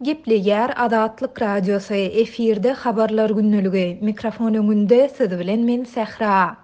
Gepleýär Azatlyk Radiosy, efirde Habarlar gündeligi, mikrofon öňünde siz bilen men Sähra.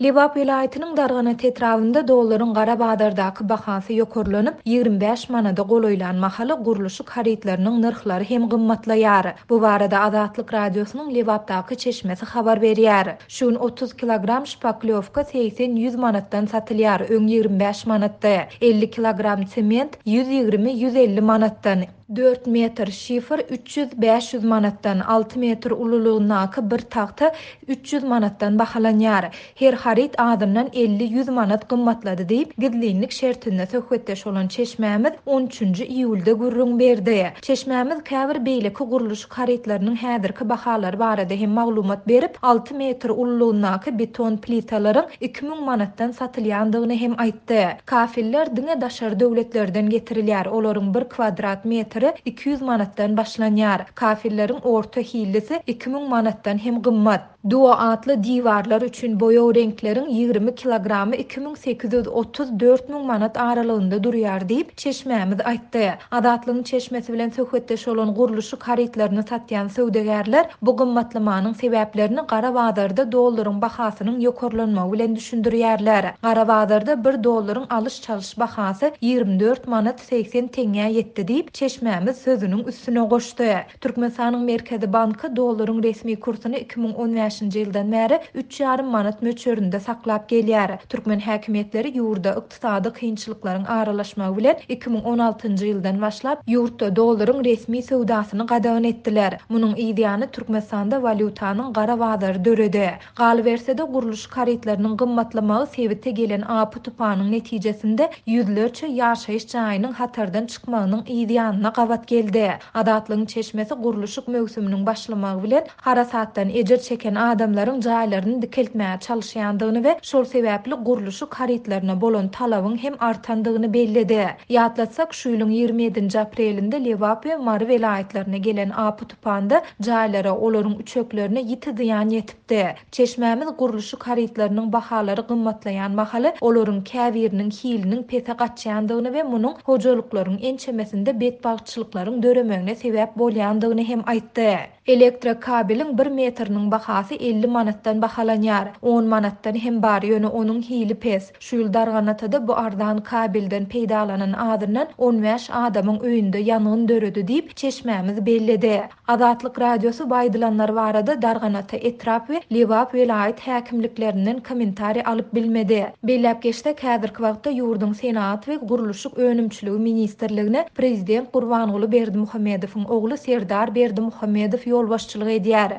Lebap welaýatynyň Darganat etrabynda dollaryň gara bazardaky bahasy ýokarlanyp, 25 manada golaýlan mahaly gurluşyk harytlarynyň nyrhlary hem gymmatlaýar. Bu barada Azatlyk Radiosynyň Lebapdaky çeşmesi habar berýär. Şu gün 30 kilogram şpaklýowka segsen-ýüz manatdan satylýar, öň 25 manatdy. 50 kilogram sement 120-150 manatdan. Dört metr şifr 300, 500 manatdan, alty metr ululygyndaky bir tagta 300 manatdan bahalanýar. Her haryt azyndan 50-100 manat gymmatlady diýip, gizlinlik şertinde söhbetdeş bolan çeşmämiz on üçünji iýulda gürrüň berdi. Çeşmämiz käbir beýleki gurluşyk harytlarynyň häzirki bahalary barada hem maglumat berip, alty metr ululygyndaky beton plitalaryň 2000 manatdan satylýandygyny hem aýtdy. Kafeller diňe daşary döwletlerden getirilýär, olaryň bir kwadrat metri 200 manatdan başlanýar. Kafelleriň orta hillisi 2000 manatdan hem gymmat. Duo atly diwarlar üçin boýag reňkleriň 20 kilogramy 2830, 4000 manat aralygynda durýar diýip, çeşmämiz aýtdy. Azatlygyň çeşmesi bilen söhbetdeş bolan gurluşyk harytlaryny satýan söwdagärler bu gymmatlamanyň sebäplerini gara bazarda dollaryň bahasynyň ýokarlanmagy bilen düşündirýärler. Gara bazarda bir dollaryň alyş-çalyş bahasy 24 manat 80 teňňä ýetdi diýip, çeşmämiz sözüniň üstüne goşdy. Türkmenistanyň Merkezi banky dollaryň resmi kursuny 2015-nji ýyldan bäri üç ýarym manat möçberinde saklap gelýär. Türkmen häkimiýetleri ýurda ykdysady kynçylyklaryň aralaşmagy bilen 2016-njy ýyldan başlap, ýurtda dollaryň resmi söwdasyny gadagan etdiler. Munuň yzýany Türkmenistanda walýutanyň gara bazary döredi. Galyberse-de, gurluşyk harytlarynyň gymmatlamagy sebite gelen apy-tupanyň netijesinde ýüzlerçe ýaşaýyş jaýynyň hatardan çykmagynyň yzýanyna gabat geldi. Azatlygyň çeşmesi gurluşyk möwsüminiň başlamagy bilen harasatdan ejir çeken adamlaryň jaýlaryny dikeltmäge çalyşýandygyny we şol sebäpli gurluşyk harytlaryna bolan talabyň hem artandygyny belledi. Ýatlatsak, şu ýylyň 27-nji aprelinde Lebap we Mary welaýatlaryna gelen apy-tupanda jaýlara, olaryň üçeklerine ýiti zyýan ýetipdi. Çeşmämiz gurluşyk harytlarynyň bahalary gymmatlaýan mahaly olaryň käbiriniň hiliniň pese gaçýandygyny we munuň hojalyklaryň ençemesinde betbagtçylyklaryň döremegine sebäp bolýandygyny hem aýtdy. Elektrokabeliň bir metriniň bahasy 50 manatdan bahalanýar. On manatdan hem bar, ýöne onuň hili pes. Şu ýyl Darganatada bu arzan kabelden peýdalanan azyndan 15 adamyň öýünde ýangyn döredi diýip, çeşmämiz belledi. Azatlyk Radiosy bu aýdylanlar barada Darganata etrap we Lebap welaýat häkimliklerinden kommentariý alyp bilmedi. Belläp geçsek, häzirki wagtda ýurduň Senagat we gurluşyk önümçiligi ministrligine prezident Gurbanguly Berdimuhamedowyň ogly Serdar Berdimuhamedow ýolbaşçylyk edýär.